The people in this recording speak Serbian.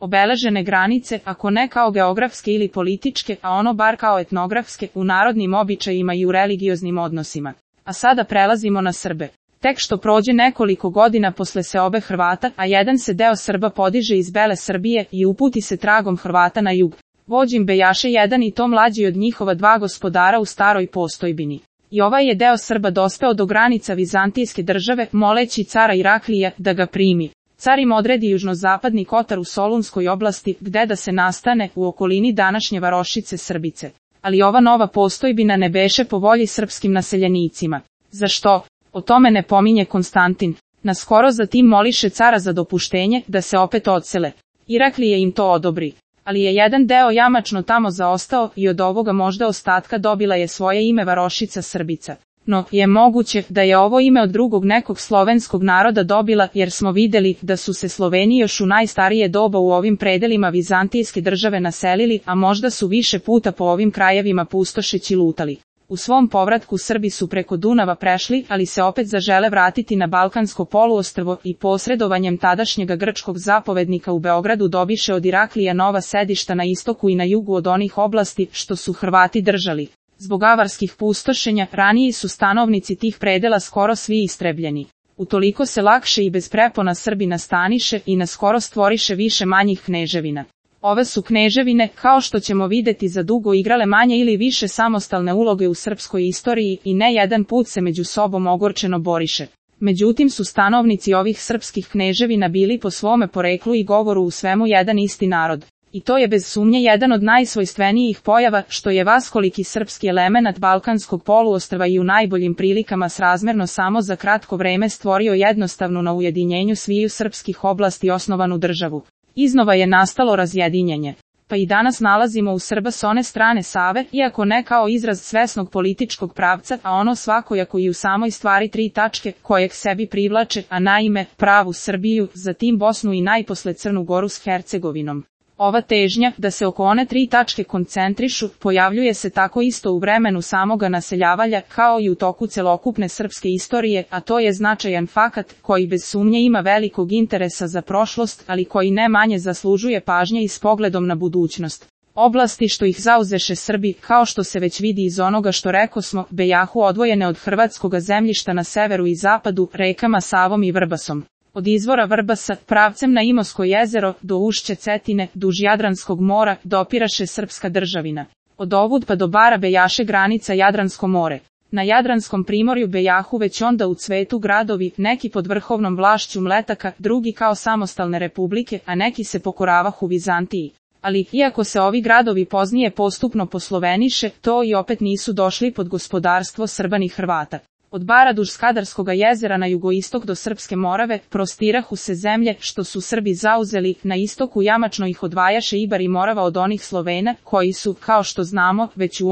obeležene granice, ako ne kao geografske ili političke, a ono bar kao etnografske, u narodnim običajima i u religioznim odnosima. A sada prelazimo na Srbe. Tek što prođe nekoliko godina posle seobe Hrvata, a jedan se deo Srba podiže iz Bele Srbije i uputi se tragom Hrvata na jug. Vođim bejaše jedan i to mlađi od njihova dva gospodara u staroj postojbini. I ovaj je deo Srba dospeo do granica Vizantijske države, moleći cara Iraklija da ga primi. Car im odredi južnozapadni Kotar u Solunskoj oblasti, gde da se nastane, u okolini današnje varošice Srbice. Ali ova nova postojbina ne beše po volji srpskim naseljenicima. Zašto? O tome ne pominje Konstantin. Naskoro zatim moliše cara za dopuštenje da se opet odsele. Iraklije im to odobri. Ali je jedan deo jamačno tamo zaostao i od ovoga možda ostatka dobila je svoje ime varošica Srbica. No, je moguće da je ovo ime od drugog nekog slovenskog naroda dobila, jer smo videli da su se Sloveni još u najstarije doba u ovim predelima Vizantijske države naselili, a možda su više puta po ovim krajevima pustošeći lutali. U svom povratku Srbi su preko Dunava prešli, ali se opet zažele vratiti na Balkansko poluostrvo i posredovanjem tadašnjega grčkog zapovednika u Beogradu dobiše od Iraklija nova sedišta na istoku i na jugu od onih oblasti što su Hrvati držali. Zbog avarskih pustošenja, raniji su stanovnici tih predela skoro svi istrebljeni. Utoliko se lakše i bez prepona Srbi nastaniše i naskoro stvoriše više manjih kneževina. Ove su kneževine, kao što ćemo videti za dugo, igrale manje ili više samostalne uloge u srpskoj istoriji i ne jedan put se među sobom ogorčeno boriše. Međutim su stanovnici ovih srpskih kneževina bili po svome poreklu i govoru u svemu jedan isti narod. I to je bez sumnje jedan od najsvojstvenijih pojava, što je vaskoliki srpski elemenat Balkanskog poluostrva i u najboljim prilikama srazmerno samo za kratko vreme stvorio jednostavnu na ujedinjenju sviju srpskih oblasti osnovanu državu. Iznova je nastalo razjedinjenje. Pa i danas nalazimo u Srba s one strane Save, iako ne kao izraz svesnog političkog pravca, a ono svakojako i u samoj stvari tri tačke, kojeg sebi privlače, a naime, pravu Srbiju, zatim Bosnu i najposle Crnu Goru s Hercegovinom. Ova težnja, da se oko one tri tačke koncentrišu, pojavljuje se tako isto u vremenu samoga naseljavanja, kao i u toku celokupne srpske istorije, a to je značajan fakat, koji bez sumnje ima velikog interesa za prošlost, ali koji ne manje zaslužuje pažnje i s pogledom na budućnost. Oblasti što ih zauzeše Srbi, kao što se već vidi iz onoga što rekosmo, bejahu odvojene od hrvatskoga zemljišta na severu i zapadu, rekama Savom i Vrbasom. Od izvora Vrbasa, pravcem na Imosko jezero, do ušća Cetine, duž Jadranskog mora, dopiraše srpska državina. Od ovud pa do Bara bejaše granica Jadransko more. Na Jadranskom primorju bejahu već onda u cvetu gradovi, neki pod vrhovnom vlašću Mletaka, drugi kao samostalne republike, a neki se pokoravahu Vizantiji. Ali, iako se ovi gradovi poznije postupno posloveniše, to i opet nisu došli pod gospodarstvo Srba ni Hrvata. Od Bara duž Skadarskoga jezera na jugoistok do Srpske Morave, prostirahu se zemlje što su Srbi zauzeli, na istoku jamačno ih odvajaše Ibar i Morava od onih Slovena, koji su, kao što znamo, već u